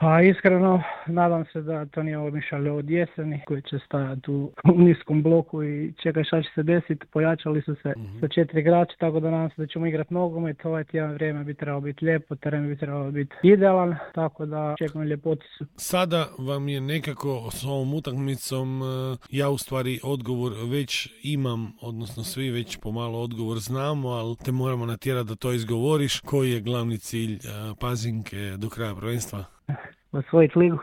Pa iskreno, nadam se da to nije ovo mišalje od jeseni koji će stajati u niskom bloku i čekaj šta će se desiti. Pojačali su se sa 4 igrača, tako da nadam se da ćemo igrati nogomet. Ovaj tjedan vrijeme bi trebalo biti lijepo, teren bi trebalo biti idealan, tako da čekam ljepoticu. Sada vam je nekako s ovom utakmicom, ja u stvari odgovor već imam, odnosno svi već pomalo odgovor znamo, ali te moramo natjerati da to izgovoriš. Koji je glavni cilj Pazinke do kraja prvenstva? Osvojiti ligu.